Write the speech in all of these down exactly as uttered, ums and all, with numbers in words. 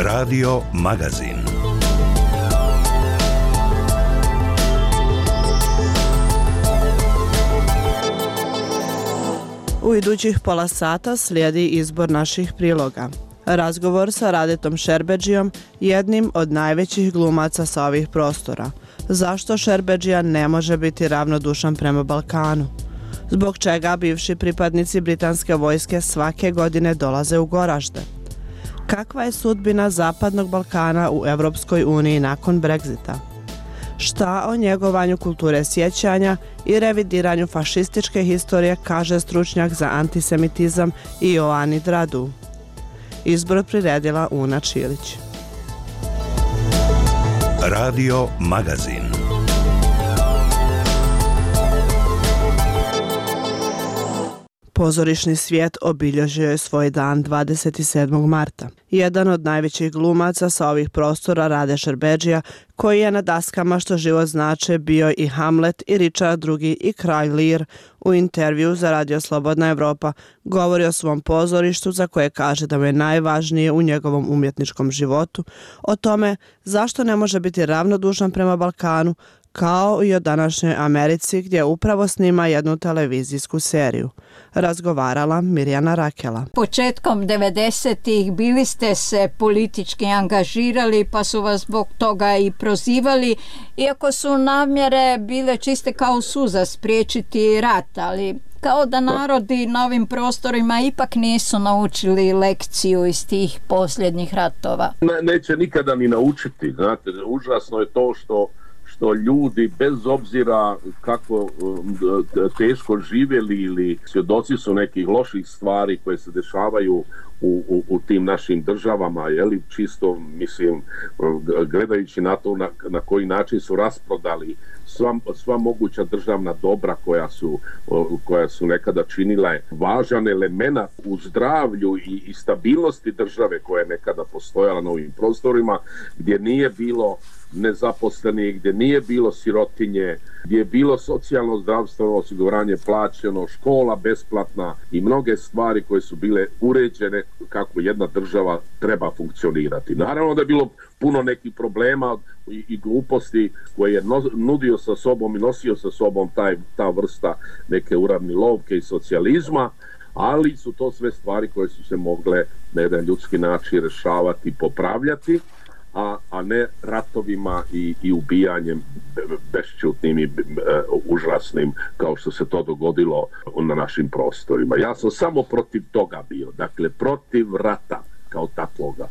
Radio Magazin. U idućih pola sata slijedi izbor naših priloga. Razgovor sa Radetom Šerbedžijom, jednim od najvećih glumaca sa ovih prostora. Zašto Šerbedžija ne može biti ravnodušan prema Balkanu? Zbog čega bivši pripadnici britanske vojske svake godine dolaze u Goražde? Kakva je sudbina Zapadnog Balkana u Evropskoj uniji nakon Brexita? Šta o njegovanju kulture sjećanja i revidiranju fašističke historije kaže stručnjak za antisemitizam Ioanid Radu? Izbor priredila Una Čilić. Radio Magazin. Pozorišni svijet obilježio je svoj dan dvadeset sedmog marta. Jedan od najvećih glumaca sa ovih prostora, Rade Šerbedžija, koji je na daskama Što život znače bio i Hamlet i Richard drugi i Kralj Lir, u intervju za Radio Slobodna Evropa govori o svom pozorištu za koje kaže da mu je najvažnije u njegovom umjetničkom životu, o tome zašto ne može biti ravnodušan prema Balkanu, kao i o današnjoj Americi gdje upravo snima jednu televizijsku seriju. Razgovarala Mirjana Rakela. Početkom devedesetih bili ste se politički angažirali pa su vas zbog toga i prozivali, iako su namjere bile čiste kao suza spriječiti rat, ali kao da narodi na ovim prostorima ipak nisu naučili lekciju iz tih posljednjih ratova. Ne, neće nikada ni naučiti, znate, užasno je to što što ljudi bez obzira kako teško živjeli ili svjedoci su nekih loših stvari koje se dešavaju u, u, u tim našim državama, jeli, čisto mislim gledajući na to na, na koji način su rasprodali sva, sva moguća državna dobra koja su, koja su nekada činila važan element u zdravlju i, i stabilnosti države koja je nekada postojala na ovim prostorima, gdje nije bilo nezaposlenih, gdje nije bilo sirotinje, gdje je bilo socijalno zdravstveno osiguranje plaćeno, škola besplatna i mnoge stvari koje su bile uređene kako jedna država treba funkcionirati. Naravno da je bilo puno nekih problema i, i gluposti koje je no, nudio sa sobom i nosio sa sobom taj, ta vrsta neke uravnilovke i socijalizma, ali su to sve stvari koje su se mogle na jedan ljudski način rješavati i popravljati, A, a ne ratovima i, i ubijanjem bešćutnim i e, užasnim kao što se to dogodilo na našim prostorima. Ja sam samo protiv toga bio, dakle protiv rata kao takvoga.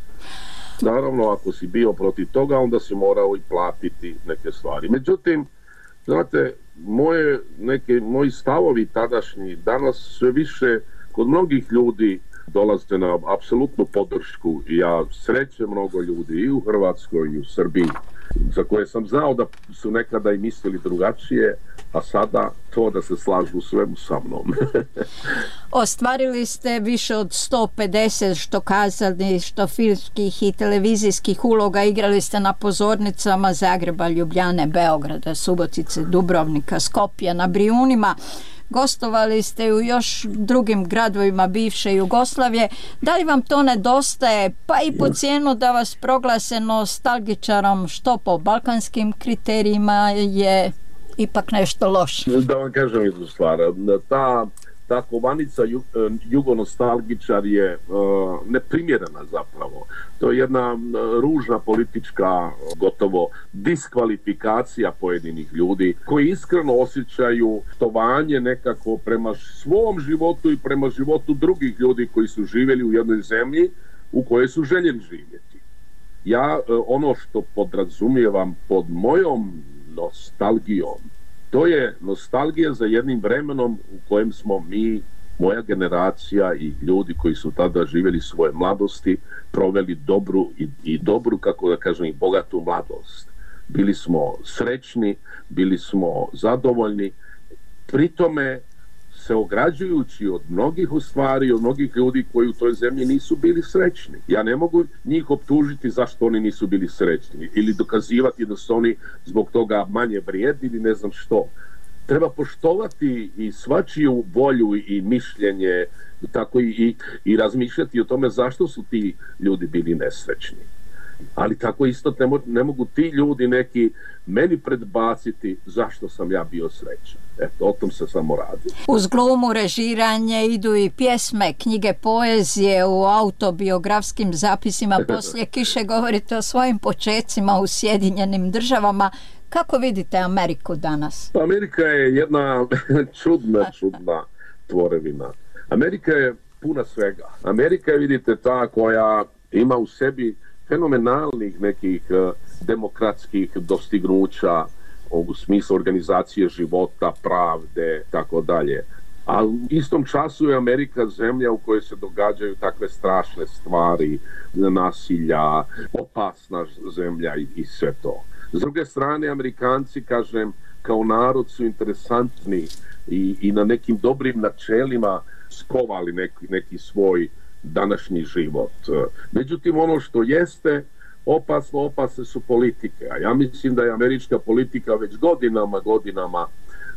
Naravno, ako si bio protiv toga, onda si morao i platiti neke stvari. Međutim, znate, moje, neke, moji stavovi tadašnji danas sve više kod mnogih ljudi dolaze na apsolutnu podršku i ja srećem mnogo ljudi i u Hrvatskoj i u Srbiji za koje sam znao da su nekada i mislili drugačije, a sada to da se slažu svemu sa mnom. Ostvarili ste više od sto pedeset što kazali, što filmskih i televizijskih uloga, igrali ste na pozornicama Zagreba, Ljubljane, Beograda, Subotice, Dubrovnika, Skopja, na Brijunima. Gostovali ste u još drugim gradovima bivše Jugoslavije. Da li vam to nedostaje, pa i po cijenu da vas proglase nostalgičarom, što po balkanskim kriterijima je ipak nešto loše? Da vam kažem jednu stvar, ta, ta kovanica ju, jugonostalgičar je uh, neprimjerena zapravo. To je jedna uh, ružna politička, gotovo diskvalifikacija pojedinih ljudi koji iskreno osjećaju štovanje nekako prema svom životu i prema životu drugih ljudi koji su živjeli u jednoj zemlji u kojoj su željeli živjeti. Ja uh, ono što podrazumijevam pod mojom nostalgijom, to je nostalgija za jednim vremenom u kojem smo mi, moja generacija i ljudi koji su tada živjeli svoje mladosti, proveli dobru i, i dobru, kako da kažem, i bogatu mladost. Bili smo srećni, bili smo zadovoljni, pri tome se ograđujući od mnogih u stvari, od mnogih ljudi koji u toj zemlji nisu bili srećni. Ja ne mogu njih optužiti zašto oni nisu bili srećni ili dokazivati da su oni zbog toga manje vrijedni ili ne znam što. Treba poštovati i svačiju volju i mišljenje, tako i, i, i razmišljati o tome zašto su ti ljudi bili nesrećni. Ali tako isto ne, mo- ne mogu ti ljudi neki meni predbaciti zašto sam ja bio srećan. Eto, o tom se samo radi. Uz glumu, režiranje idu i pjesme, knjige, poezije, u autobiografskim zapisima Poslije kiše govorite o svojim počecima u Sjedinjenim državama. Kako vidite Ameriku danas? Amerika je jedna čudna, čudna tvorevina. Amerika je puna svega. Amerika je, vidite, ta koja ima u sebi fenomenalnih nekih uh, demokratskih dostignuća u smislu organizacije života, pravde, tako dalje. A u istom času je Amerika zemlja u kojoj se događaju takve strašne stvari, nasilja, opasna zemlja i, i sve to. S druge strane, Amerikanci, kažem, kao narod su interesantni i, i na nekim dobrim načelima skovali neki, neki svoj današnji život. Međutim, ono što jeste opasno, opasne su politike. A ja mislim da je američka politika već godinama, godinama,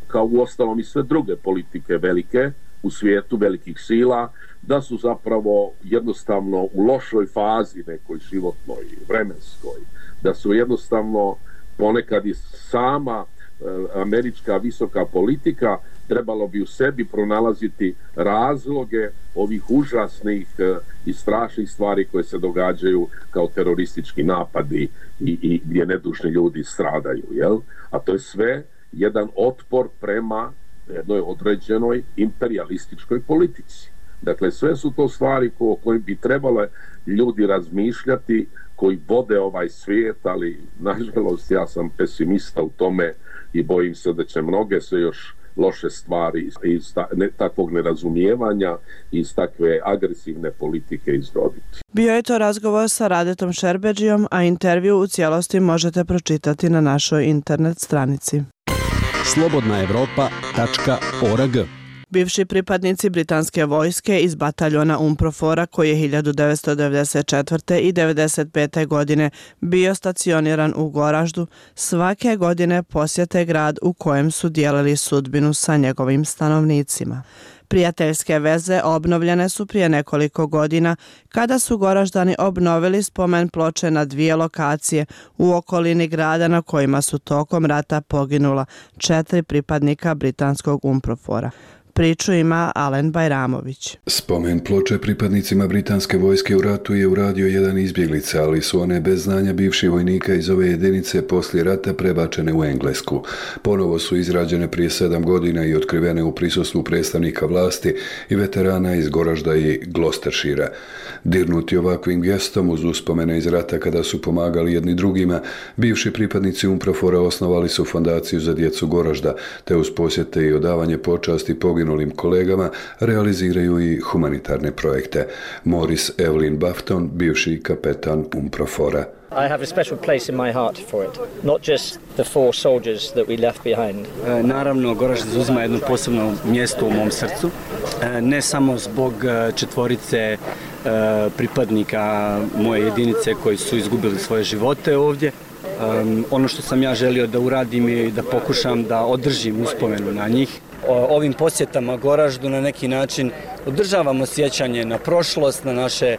kao u ostalom i sve druge politike velike u svijetu, velikih sila, da su zapravo jednostavno u lošoj fazi nekoj životnoj, vremenskoj. Da su jednostavno ponekad i sama e, američka visoka politika trebalo bi u sebi pronalaziti razloge ovih užasnih e, i strašnih stvari koje se događaju kao teroristički napadi i, i gdje nedužni ljudi stradaju, jel? A to je sve jedan otpor prema jednoj određenoj imperialističkoj politici. Dakle, sve su to stvari o kojim bi trebale ljudi razmišljati koji vode ovaj svijet, ali nažalost ja sam pesimista u tome i bojim se da će mnoge se još loše stvari iz ta, ne, takvog nerazumijevanja i iz takve agresivne politike izroditi. Bio je to razgovor sa Radetom Šerbedžijom, a intervju u cijelosti možete pročitati na našoj internet stranici. slobodna evropa tačka org. Bivši pripadnici britanske vojske iz bataljona UNPROFOR-a koji je hiljadu devetsto devedeset četvrte. i devedeset pete. godine bio stacioniran u Goraždu, svake godine posjete grad u kojem su dijelili sudbinu sa njegovim stanovnicima. Prijateljske veze obnovljene su prije nekoliko godina kada su Goraždani obnovili spomen ploče na dvije lokacije u okolini grada na kojima su tokom rata poginula četiri pripadnika britanskog UNPROFOR-a. Priču ima Alen Bajramović. Spomen ploče pripadnicima britanske vojske u ratu je uradio jedan izbjeglica, ali su one bez znanja bivših vojnika iz ove jedinice poslije rata prebačene u Englesku. Ponovo su izrađene prije sedam godina i otkrivene u prisustvu predstavnika vlasti i veterana iz Goražda i Gloucestershira. Dirnuti ovakvim gestom uz uspomene iz rata kada su pomagali jedni drugima, bivši pripadnici UNPROFOR-a osnovali su fondaciju za djecu Goražda, te uz posjete i odavanje počasti poginulim kolegama realiziraju i humanitarne projekte. Morris Evelyn Bafton, bivši kapetan UNPROFOR-a. I have a special place in my heart for it, not just the four soldiers that we left behind. E, naravno, Goražd zauzima jedno posebno mjesto u mom srcu, e, ne samo zbog četvorice e, pripadnika moje jedinice koji su izgubili svoje živote ovdje. Um, ono što sam ja želio da uradim je da pokušam da održim uspomenu na njih. O, ovim posjetama Goraždu na neki način održavamo sjećanje na prošlost, na naše e,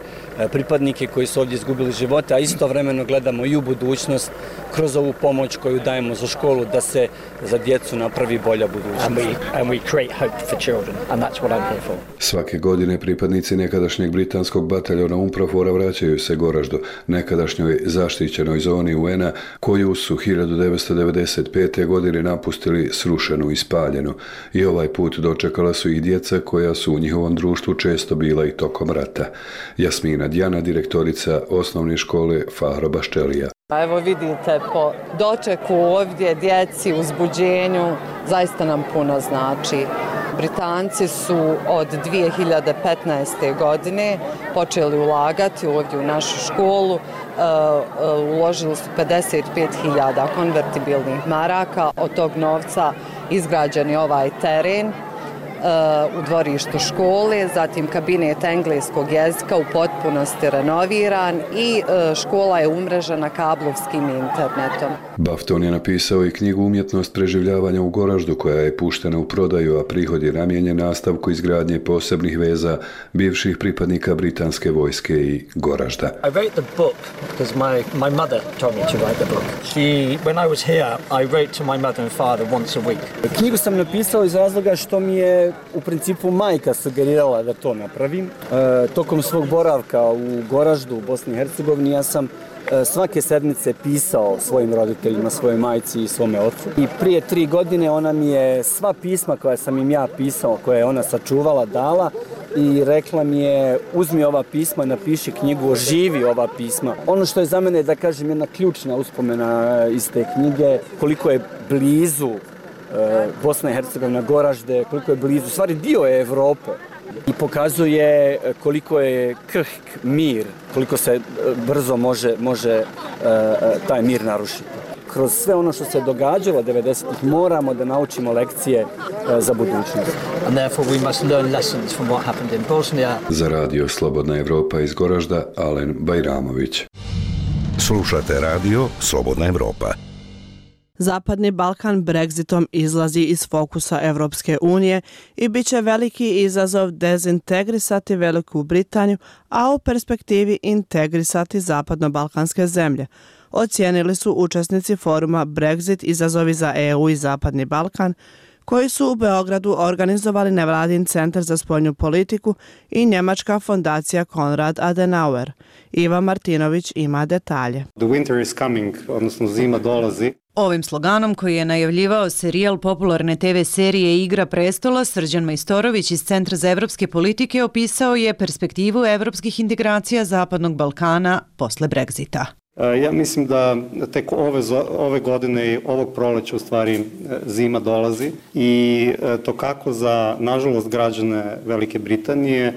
pripadnike koji su ovdje izgubili živote, a istovremeno gledamo i u budućnost kroz ovu pomoć koju dajemo za školu da se za djecu napravi bolja budućnost. And we, and we create hope for children, and that's what I'm here for. Svake godine pripadnici nekadašnjeg britanskog bataljona UNPROFOR-a vraćaju se Goraždu, nekadašnjoj zaštićenoj zoni U N-a, koju su hiljadu devetsto devedeset pete. godine napustili srušenu i spaljenu. I ovaj put dočekala su ih djeca koja su u njihovom društvu često bila i tokom rata. Jasmina Djana, direktorica osnovne škole Fahro Baščelija. Evo vidite po dočeku ovdje, djeci, uzbuđenju, zaista nam puno znači. Britanci su od dvije hiljade petnaeste. godine počeli ulagati ovdje u našu školu. Uložili su pedeset pet hiljada konvertibilnih maraka, od tog novca izgrađen je ovaj teren u dvorištu škole, zatim kabinet engleskog jezika u potpunosti renoviran i škola je umrežena kablovskim internetom. Bafton je napisao i knjigu Umjetnost preživljavanja u Goraždu koja je puštena u prodaju, a prihod je namijenjen nastavku izgradnje posebnih veza bivših pripadnika britanske vojske i Goražda. I wrote the book because my, my mother told me to write the book. She, when I was here, I wrote to my mother and father once a week. Knjigu sam napisao iz razloga što mi je u principu majka sugerirala da to napravim. E, tokom svog boravka u Goraždu, u Bosni i Hercegovini, ja sam e, svake sedmice pisao svojim roditeljima, svojoj majci i svome ocu. I prije tri godine ona mi je sva pisma koja sam im ja pisao, koje je ona sačuvala, dala i rekla mi je uzmi ova pisma, napiši knjigu, oživi ova pisma. Ono što je za mene, da kažem, jedna ključna uspomena iz te knjige, koliko je blizu Bosna i Hercegovina, Goražde, koliko je blizu, stvari dio je Evrope i pokazuje koliko je krhk mir, koliko se brzo može, može taj mir narušiti. Kroz sve ono što se događalo devedesetih moramo da naučimo lekcije za budućnost. And therefore we must learn lessons from what happened in Bosnia. Za radio Slobodna Evropa iz Goražda, Alen Bajramović. Slušate radio Slobodna Evropa. Zapadni Balkan Brexitom izlazi iz fokusa Evropske unije i bit će veliki izazov dezintegrisati Veliku Britaniju, a u perspektivi integrisati zapadno-balkanske zemlje, ocijenili su učesnici foruma Brexit izazovi za E U i Zapadni Balkan, koji su u Beogradu organizovali nevladin centar za spoljnu politiku i njemačka fondacija Konrad Adenauer. Iva Martinović ima detalje. The winter is coming, odnosno zima dolazi. Ovim sloganom koji je najavljivao serijal popularne te ve serije Igra prestola, Srđan Majstorović iz Centra za evropske politike opisao je perspektivu evropskih integracija Zapadnog Balkana posle Brexita. Ja mislim da tek ove, ove godine i ovog proleća u stvari zima dolazi i to kako za, nažalost, građane Velike Britanije,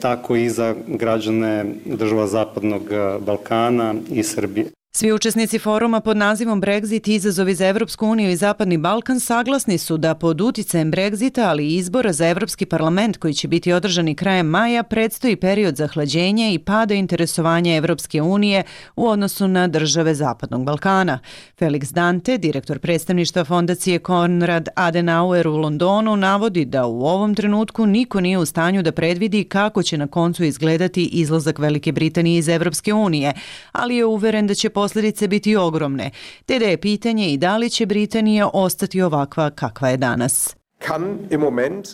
tako i za građane država Zapadnog Balkana i Srbije. Svi učesnici foruma pod nazivom Brexit izazovi za Evropsku uniju i Zapadni Balkan saglasni su da pod uticajem Brexita, ali i izbora za Evropski parlament koji će biti održani krajem maja, predstoji period zahlađenja i pada interesovanja Evropske unije u odnosu na države Zapadnog Balkana. Felix Dante, direktor predstavništva fondacije Konrad Adenauer u Londonu, navodi da u ovom trenutku niko nije u stanju da predvidi kako će na koncu izgledati izlazak Velike Britanije iz Evropske unije, ali je uveren da će posljedice biti ogromne, te da je pitanje i da li će Britanija ostati ovakva kakva je danas.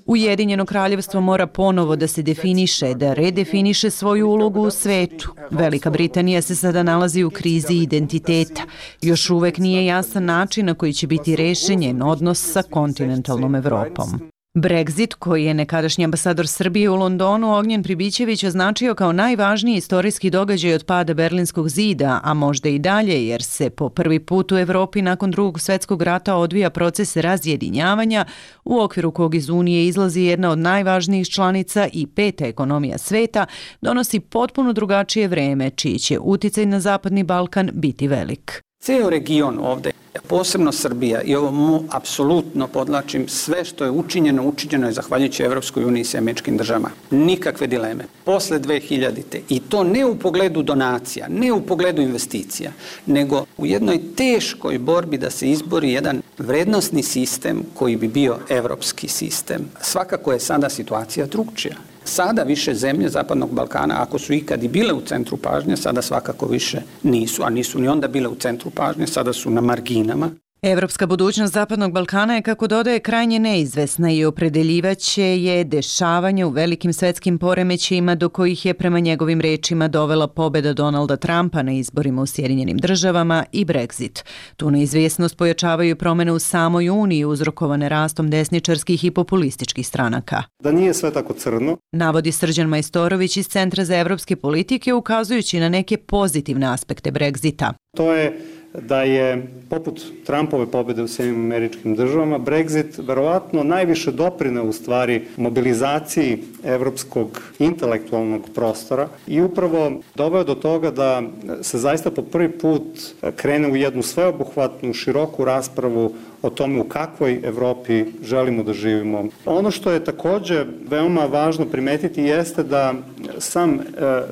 Ujedinjeno kraljevstvo mora ponovo da se definiše, da redefiniše svoju ulogu u svetu. Velika Britanija se sada nalazi u krizi identiteta. Još uvek nije jasan način na koji će biti rešen njen odnos sa kontinentalnom Evropom. Brexit, koji je nekadašnji ambasador Srbije u Londonu Ognjen Pribićević označio kao najvažniji istorijski događaj od pada Berlinskog zida, a možda i dalje jer se po prvi put u Evropi nakon Drugog svjetskog rata odvija proces razjedinjavanja u okviru kog iz Unije izlazi jedna od najvažnijih članica i peta ekonomija sveta, donosi potpuno drugačije vreme, čiji će uticaj na Zapadni Balkan biti velik. Ceo region ovde, posebno Srbija, i ovo mu apsolutno podlačim, sve što je učinjeno, učinjeno je zahvaljujući Evropskoj uniji i američkim državama. Nikakve dileme. Posle dve hiljadite. I to ne u pogledu donacija, ne u pogledu investicija, nego u jednoj teškoj borbi da se izbori jedan vrednosni sistem koji bi bio evropski sistem. Svakako je sada situacija drugčija. Sada više zemlje Zapadnog Balkana, ako su ikad i bile u centru pažnje, sada svakako više nisu, a nisu ni onda bile u centru pažnje, sada su na marginama. Evropska budućnost Zapadnog Balkana je, kako dodaje, krajnje neizvesna i opredeljivaće je dešavanje u velikim svetskim poremećajima do kojih je prema njegovim rečima dovela pobjeda Donalda Trumpa na izborima u Sjedinjenim državama i Brexit. Tu neizvjesnost pojačavaju promjene u samoj Uniji uzrokovane rastom desničarskih i populističkih stranaka. Da nije sve tako crno, navodi Srđan Majstorović iz Centra za evropske politike, ukazujući na neke pozitivne aspekte Brexita. To je da je, poput Trumpove pobjede u Sjedinjenim američkim državama, Brexit verovatno najviše doprineo u stvari mobilizaciji evropskog intelektualnog prostora i upravo doveo do toga da se zaista po prvi put krene u jednu sveobuhvatnu, široku raspravu o tome u kakvoj Evropi želimo da živimo. Ono što je takođe veoma važno primetiti jeste da sam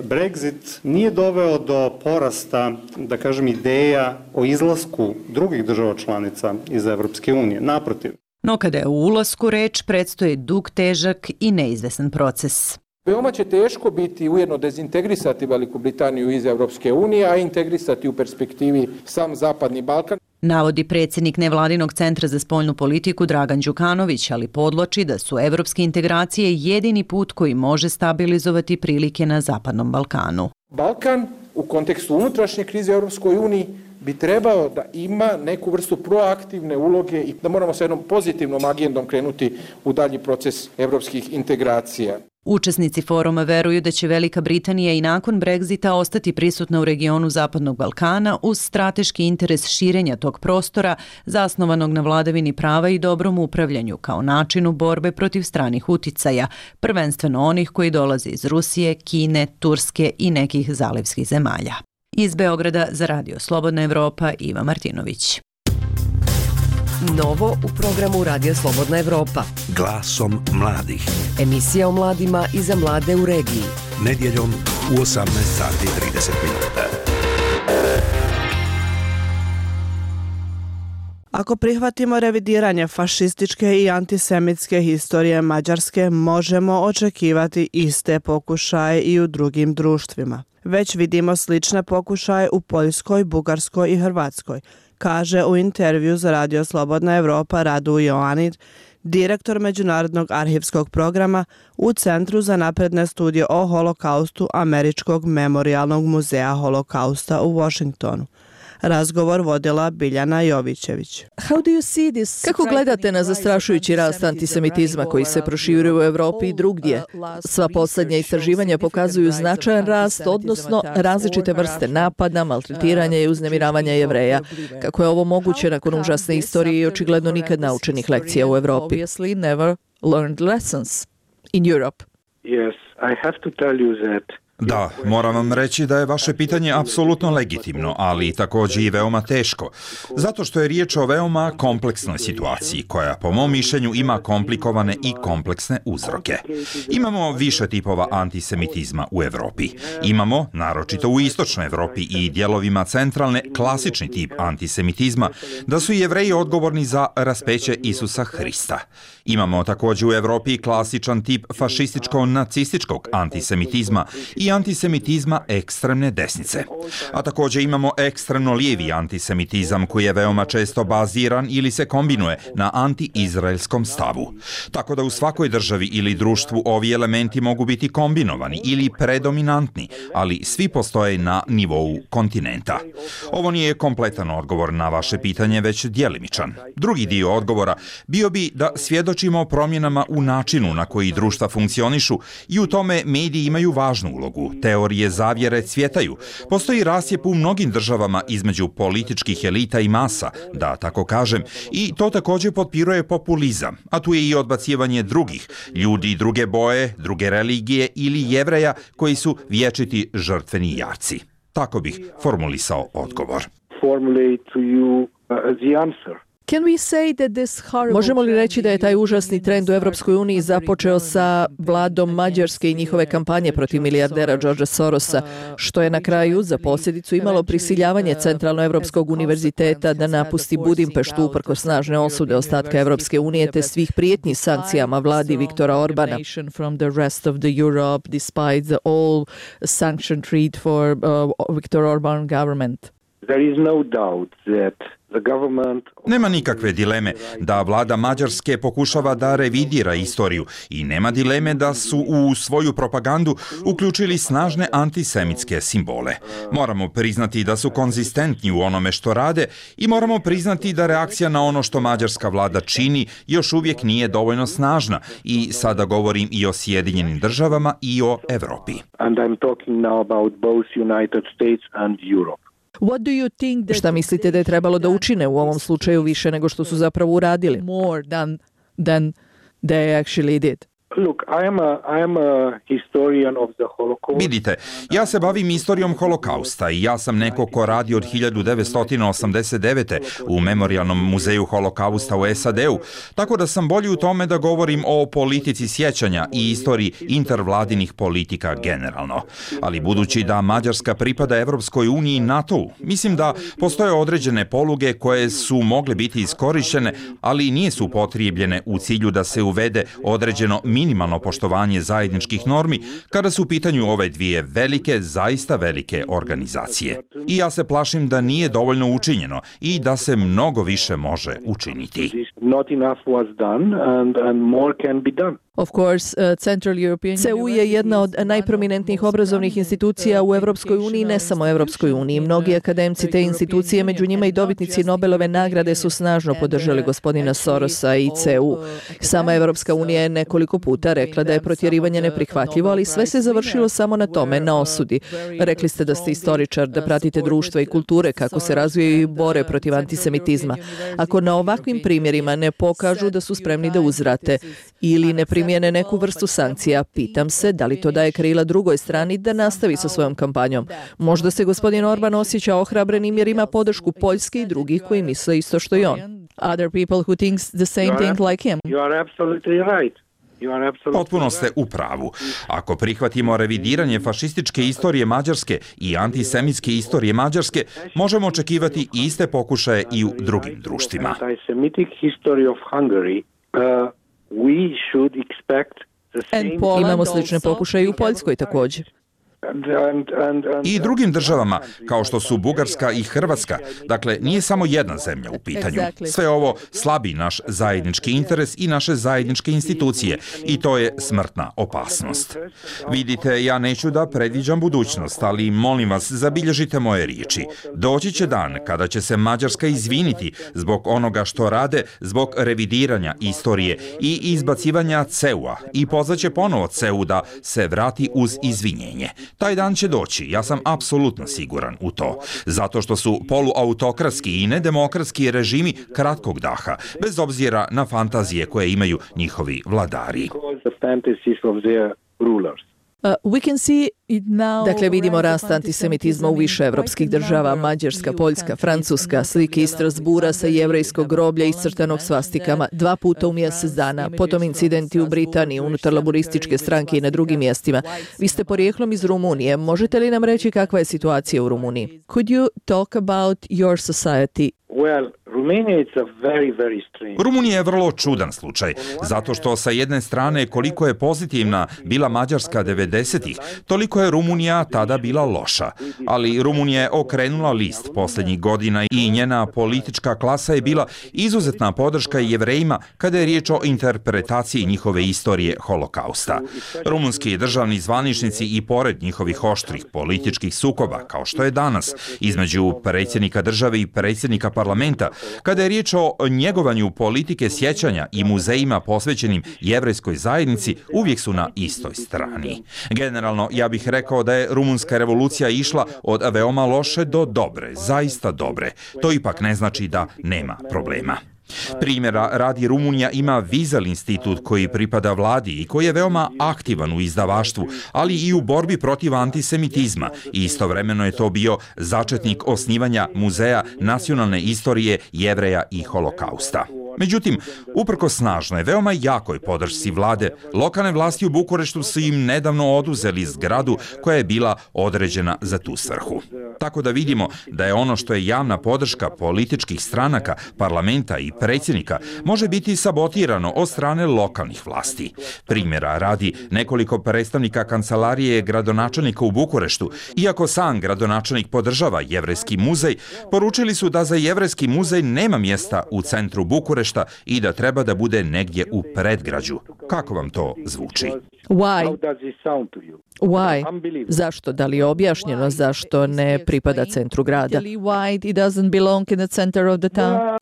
Brexit nije doveo do porasta, da kažem, ideja o izlasku drugih država članica iz Evropske unije. Naprotiv. No kada je u ulasku reč, predstoji dug, težak i neizvesan proces. Veoma će teško biti ujedno dezintegrisati Veliku Britaniju iz Evropske unije, a integrisati u perspektivi sam Zapadni Balkan. Navodi predsjednik nevladinog centra za spoljnu politiku Dragan Đukanović, ali podloči da su evropske integracije jedini put koji može stabilizovati prilike na Zapadnom Balkanu. Balkan u kontekstu unutrašnje krize u Evropskoj uniji bi trebao da ima neku vrstu proaktivne uloge i da moramo sa jednom pozitivnom agendom krenuti u dalji proces evropskih integracija. Učesnici foruma veruju da će Velika Britanija i nakon Brexita ostati prisutna u regionu Zapadnog Balkana uz strateški interes širenja tog prostora zasnovanog na vladavini prava i dobrom upravljanju kao načinu borbe protiv stranih uticaja, prvenstveno onih koji dolaze iz Rusije, Kine, Turske i nekih zalivskih zemalja. Iz Beograda za Radio Slobodna Evropa, Iva Martinović. Novo u programu Radio Slobodna Evropa. Glasom mladih. Emisija o mladima i za mlade u regiji. Nedjeljom u osamnaest sati i trideset minuta. Ako prihvatimo revidiranje fašističke i antisemitske historije Mađarske, možemo očekivati iste pokušaje i u drugim društvima. Već vidimo slične pokušaje u Poljskoj, Bugarskoj i Hrvatskoj, kaže u intervju za Radio Slobodna Evropa Radu Joanid, direktor Međunarodnog arhivskog programa u Centru za napredne studije o holokaustu Američkog memorialnog muzeja holokausta u Washingtonu. Razgovor vodila Biljana Jovićević. Kako gledate na zastrašujući rast antisemitizma koji se proširuje u Evropi i drugdje? Sva posljednja istraživanja pokazuju značajan rast, odnosno različite vrste napada, maltretiranja i uznemiravanja Jevreja. Kako je ovo moguće nakon užasne istorije i očigledno nikad naučenih lekcija u Evropi? Da, moram vam reći da je vaše pitanje apsolutno legitimno, ali također i veoma teško, zato što je riječ o veoma kompleksnoj situaciji, koja po mom mišljenju ima komplikovane i kompleksne uzroke. Imamo više tipova antisemitizma u Evropi. Imamo, naročito u istočnoj Evropi i dijelovima centralne, klasični tip antisemitizma, da su Jevreji odgovorni za raspeće Isusa Hrista. Imamo također u Evropi klasičan tip fašističko-nacističkog antisemitizma i antisemitizma ekstremne desnice. A također imamo ekstremno lijevi antisemitizam koji je veoma često baziran ili se kombinuje na anti-izraelskom stavu. Tako da u svakoj državi ili društvu ovi elementi mogu biti kombinovani ili predominantni, ali svi postoje na nivou kontinenta. Ovo nije kompletan odgovor na vaše pitanje, već djelimičan. Drugi dio odgovora bio bi da svjedočimo o promjenama u načinu na koji društva funkcionišu i u tome mediji imaju važnu ulogu. Teorije zavjere cvjetaju. Postoji rasjep u mnogim državama između političkih elita i masa, da tako kažem, i to također potpiruje populizam, a tu je i odbacivanje drugih, ljudi druge boje, druge religije ili Jevreja koji su vječiti žrtveni jarci. Tako bih formulisao odgovor. Možemo li reći da je taj užasni trend u Evropskoj uniji započeo sa vladom Mađarske i njihove kampanje protiv milijardera Georgea Sorosa, što je na kraju za posljedicu imalo prisiljavanje Centralnoevropskog univerziteta da napusti Budimpeštu uprkos snažne osude ostatka Evropske unije te svih prijetnji sankcijama vladi Viktora Orbana. Nema nikakve dileme da vlada Mađarske pokušava da revidira istoriju i nema dileme da su u svoju propagandu uključili snažne antisemitske simbole. Moramo priznati da su konzistentni u onome što rade i moramo priznati da reakcija na ono što mađarska vlada čini još uvijek nije dovoljno snažna i sada govorim i o Sjedinjenim državama i o Evropi. And I'm talking now about both United States and Europe. Šta mislite da je trebalo da učine u ovom slučaju više nego što su zapravo uradili? More than, than they actually did. Look, I am a, I am a historian of the Holocaust. Vidite, ja se bavim istorijom holokausta i ja sam neko ko radi od hiljadu devetsto osamdeset devete. u Memorijalnom muzeju holokausta u S A D-u, tako da sam bolji u tome da govorim o politici sjećanja i istoriji intervladinih politika generalno. Ali budući da Mađarska pripada Evropskoj uniji i NATO-u, mislim da postoje određene poluge koje su mogle biti iskorišćene, ali nisu upotrijebljene u cilju da se uvede određeno minimalno poštovanje zajedničkih normi kada su u pitanju ove dvije velike, zaista velike organizacije. I ja se plašim da nije dovoljno učinjeno i da se mnogo više može učiniti. Not enough was done and, and more can be done. Of course, uh, Central European C E U je jedna od najprominentnijih obrazovnih institucija u Evropskoj uniji, ne samo Evropskoj uniji. Mnogi akademci te institucije, među njima i dobitnici Nobelove nagrade, su snažno podržali gospodina Sorosa i C E U. Sama Evropska unija je nekoliko puta rekla da je protjerivanje neprihvatljivo, ali sve se završilo samo na tome, na osudi. Rekli ste da ste istoričar, da pratite društva i kulture, kako se razvijaju i bore protiv antisemitizma. Ako na ovakvim primjerima ne pokažu da su spremni da uzvrate ili ne primjene neku vrstu sankcija, pitam se da li to daje krila drugoj strani da nastavi sa svojom kampanjom. Možda se gospodin Orban osjeća ohrabrenim jer ima podršku Poljske i drugih koji misle isto što i on. Other people who thinks the same thing like him. You are absolutely right. Potpuno ste u pravu. Ako prihvatimo revidiranje fašističke istorije Mađarske i antisemitske istorije Mađarske, možemo očekivati iste pokušaje i u drugim društvima. Antisemitic history of Hungary, uh, we should expect the same. Imamo slične pokušaje i u Poljskoj također. I drugim državama, kao što su Bugarska i Hrvatska. Dakle, nije samo jedna zemlja u pitanju. Sve ovo slabi naš zajednički interes i naše zajedničke institucije i to je smrtna opasnost. Vidite, ja neću da predviđam budućnost, ali molim vas, zabilježite moje riječi. Doći će dan kada će se Mađarska izviniti zbog onoga što rade, zbog revidiranja istorije i izbacivanja C E U-a i pozvaće ponovo C E U da se vrati uz izvinjenje. Taj dan će doći, ja sam apsolutno siguran u to. Zato što su poluautokratski i nedemokratski režimi kratkog daha, bez obzira na fantazije koje imaju njihovi vladari. Uh, we can see it now. Dakle, vidimo rast antisemitizma u više evropskih država, Mađarska, Poljska, Francuska, slike iz Strasbura sa jevrejskog groblja iscrtanog svastikama dva puta u mjesec dana, potom incidenti u Britaniji, unutar laborističke stranke i na drugim mjestima. Vi ste porijeklom iz Rumunije, možete li nam reći kakva je situacija u Rumuniji? Could you talk about your society? Well, Romania is a very, very strange. Rumunija je vrlo čudan slučaj, zato što sa jedne strane koliko je pozitivna bila Mađarska devedesetih, toliko je Rumunija tada bila loša. Ali Rumunija je okrenula list posljednjih godina i njena politička klasa je bila izuzetna podrška Jevrejima kada je riječ o interpretaciji njihove istorije holokausta. Rumunski državni zvaničnici i pored njihovih oštrih političkih sukoba, kao što je danas, između predsjednika države i predsjednika parlamenta, kada je riječ o njegovanju politike sjećanja i muzejima posvećenim jevrejskoj zajednici, uvijek su na istoj strani. Generalno, ja bih rekao da je rumunska revolucija išla od veoma loše do dobre, zaista dobre. To ipak ne znači da nema problema. Primjera radi, Rumunija ima Vizel institut koji pripada vladi i koji je veoma aktivan u izdavaštvu, ali i u borbi protiv antisemitizma. I istovremeno je to bio začetnik osnivanja Muzeja nacionalne istorije Jevreja i holokausta. Međutim, uprko snažnoj, veoma jakoj podršci vlade, lokalne vlasti u Bukureštu su im nedavno oduzeli zgradu koja je bila određena za tu svrhu. Tako da vidimo da je ono što je javna podrška političkih stranaka, parlamenta i predsjednika može biti sabotirano od strane lokalnih vlasti. Primjera radi, nekoliko predstavnika kancelarije gradonačelnika u Bukureštu, iako sam gradonačelnik podržava jevrejski muzej, poručili su da za jevrejski muzej nema mjesta u centru Bukurešta i da treba da bude negdje u predgrađu. Kako vam to zvuči? Why? Why? Zašto? Da li je objašnjeno zašto ne pripada centru grada? Why it doesn't belong in the center of the town?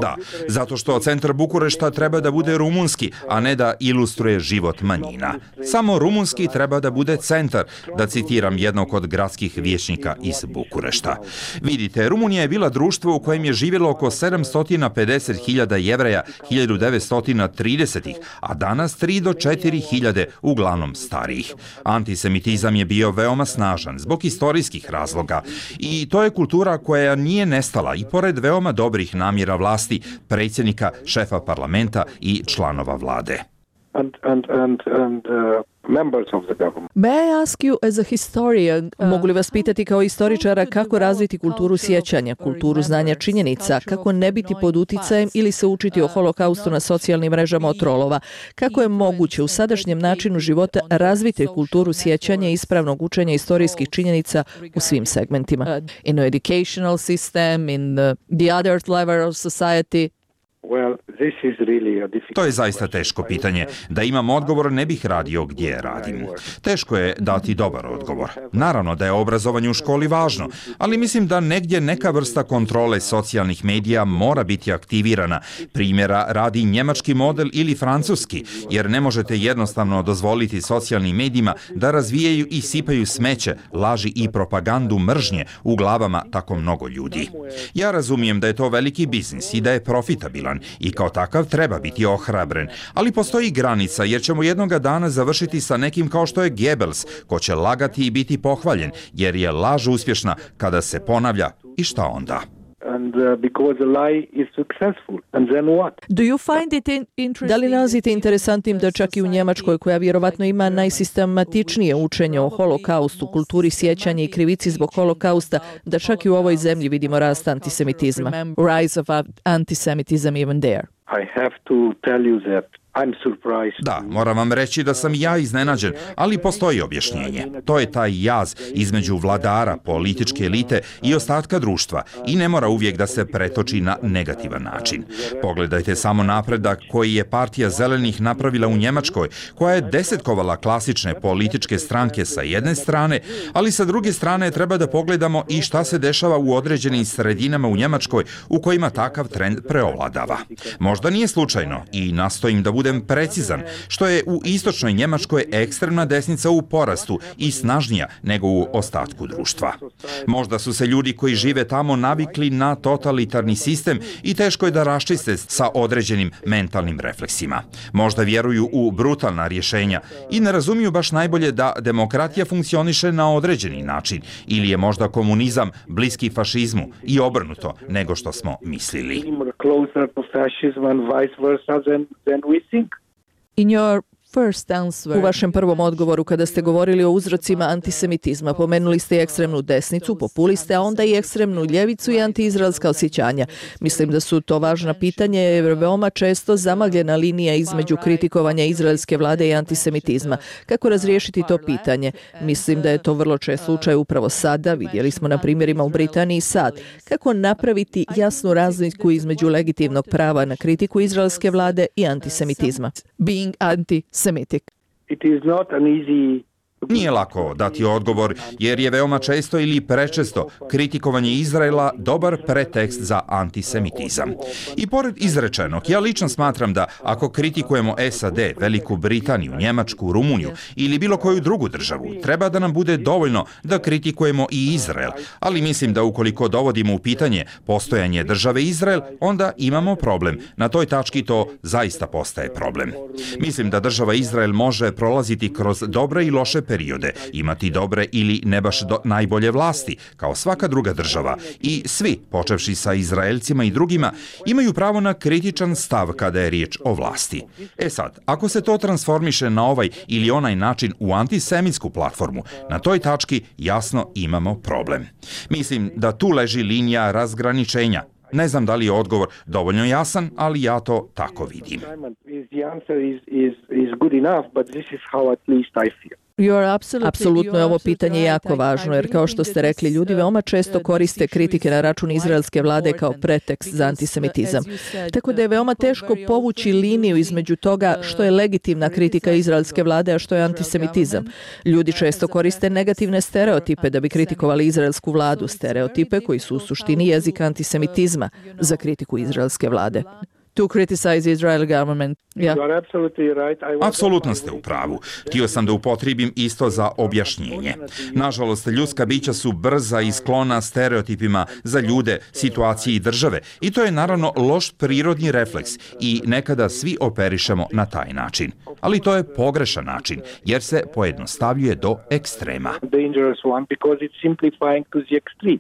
Da, zato što centar Bukurešta treba da bude rumunski, a ne da ilustruje život manjina. Samo rumunski treba da bude centar, da citiram jednog od gradskih vijećnika iz Bukurešta. Vidite, Rumunija je bila društvo u kojem je živjelo oko sedamsto pedeset hiljada Jevreja hiljadu devetsto tridesetih, a danas tri do četiri hiljade, uglavnom starijih. Antisemitizam je bio veoma snažan zbog istorijskih razloga i to je kultura koja nije nestala i pored veoma dobrih namjera vlasti, predsjednika, šefa parlamenta i članova vlade. And, and, and, and, uh, members of the government. May I ask you as a historian, mogu li vas pitati kao istoričara kako razviti kulturu sjećanja, kulturu znanja činjenica, kako ne biti pod uticajem ili se učiti o holokaustu na socijalnim mrežama od trolova, kako je moguće u sadašnjem načinu života razviti kulturu sjećanja i ispravnog učenja istorijskih činjenica u svim segmentima. In the educational system, in the, the other level of society. Well, this is really a difficult... To je zaista teško pitanje. Da imam odgovor, ne bih radio gdje radim. Teško je dati dobar odgovor. Naravno da je obrazovanje u školi važno, ali mislim da negdje neka vrsta kontrole socijalnih medija mora biti aktivirana. Primjera radi njemački model ili francuski, jer ne možete jednostavno dozvoliti socijalnim medijima da razvijaju i sipaju smeće, laži i propagandu mržnje u glavama tako mnogo ljudi. Ja razumijem da je to veliki biznis i da je profitabilan i kao takav treba biti ohrabren, ali postoji granica jer ćemo jednoga dana završiti sa nekim kao što je Goebbels, ko će lagati i biti pohvaljen, jer je laž uspješna kada se ponavlja i šta onda? And uh, because the lie is successful. And then what? Do you find it in- interesting? Da li nalazite interesantnim da čak i u Njemačkoj, koja vjerovatno ima najsistematičnije učenje o holokaustu, kulturi sjećanja i krivici zbog holokausta, da čak i u ovoj zemlji vidimo rast antisemitizma? Rise of antisemitism even there. I have to tell you that I'm surprised. Da, moram vam reći da sam ja iznenađen, ali postoji objašnjenje. To je taj jaz između vladara, političke elite i ostatka društva i ne mora uvijek da se pretoči na negativan način. Pogledajte samo napredak koji je partija zelenih napravila u Njemačkoj, koja je desetkovala klasične političke stranke sa jedne strane, ali sa druge strane treba da pogledamo i šta se dešava u određenim sredinama u Njemačkoj u kojima takav trend preovladava. Možda nije slučajno i nastojim da budem precizan, što je u istočnoj Njemačkoj ekstremna desnica u porastu i snažnija nego u ostatku društva. Možda su se ljudi koji žive tamo navikli na totalitarni sistem i teško je da raščiste sa određenim mentalnim refleksima. Možda vjeruju u brutalna rješenja i ne razumiju baš najbolje da demokratija funkcioniše na određeni način ili je možda komunizam bliski fašizmu i obrnuto nego što smo mislili. In your first answer, u vašem prvom odgovoru kada ste govorili o uzrocima antisemitizma, pomenuli ste i ekstremnu desnicu, populiste, a onda i ekstremnu ljevicu i antiizraelska osjećanja. Mislim da su to važna pitanja jer je veoma često zamagljena linija između kritikovanja izraelske vlade i antisemitizma. Kako razriješiti to pitanje? Mislim da je to vrlo čest slučaj upravo sada, vidjeli smo na primjerima u Britaniji sad. Kako napraviti jasnu razliku između legitimnog prava na kritiku izraelske vlade i antisemitizma? Being anti Semitic. It is not an easy. Nije lako dati odgovor, jer je veoma često ili prečesto kritikovanje Izraela dobar pretekst za antisemitizam. I pored izrečenog, ja lično smatram da ako kritikujemo S A D, Veliku Britaniju, Njemačku, Rumuniju ili bilo koju drugu državu, treba da nam bude dovoljno da kritikujemo i Izrael, ali mislim da ukoliko dovodimo u pitanje postojanje države Izrael, onda imamo problem. Na toj tački to zaista postaje problem. Mislim da država Izrael može prolaziti kroz dobre i loše periode, imati dobre ili ne baš do, najbolje vlasti, kao svaka druga država. I svi, počevši sa Izraelcima i drugima, imaju pravo na kritičan stav kada je riječ o vlasti. E sad, ako se to transformiše na ovaj ili onaj način u antisemitsku platformu, na toj tački jasno imamo problem. Mislim da tu leži linija razgraničenja. Ne znam da li je odgovor dovoljno jasan, ali ja to tako vidim. the answer is, is, is good enough, but this is how at least I feel. Apsolutno je ovo pitanje jako važno, jer kao što ste rekli, ljudi veoma često koriste kritike na račun izraelske vlade kao pretekst za antisemitizam. Tako da je veoma teško povući liniju između toga što je legitimna kritika izraelske vlade, a što je antisemitizam. Ljudi često koriste negativne stereotipe da bi kritikovali izraelsku vladu, stereotipe koji su u suštini jezik antisemitizma za kritiku izraelske vlade. To criticize Israel government. Yeah. You are absolutely right. I Apsolutno ste u pravu. Htio sam da upotrijebim isto za objašnjenje. Nažalost, ljudska bića su brza i sklona stereotipima za ljude, situacije i države. I to je naravno loš prirodni refleks i nekada svi operišemo na taj način. Ali to je pogrešan način, jer se pojednostavljuje do ekstrema. dangerous one because it's simplifying to the extreme.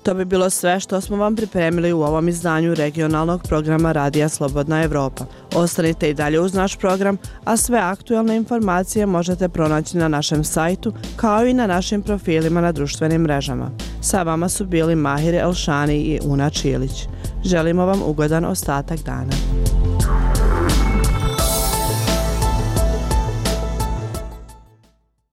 To bi bilo sve što smo vam pripremili u ovom izdanju regionalnog programa Radija Slobodna Evropa. Ostanite i dalje uz naš program, a sve aktualne informacije možete pronaći na našem sajtu kao i na našim profilima na društvenim mrežama. Sa vama su bili Mahir Elšani i Una Čilić. Želimo vam ugodan ostatak dana.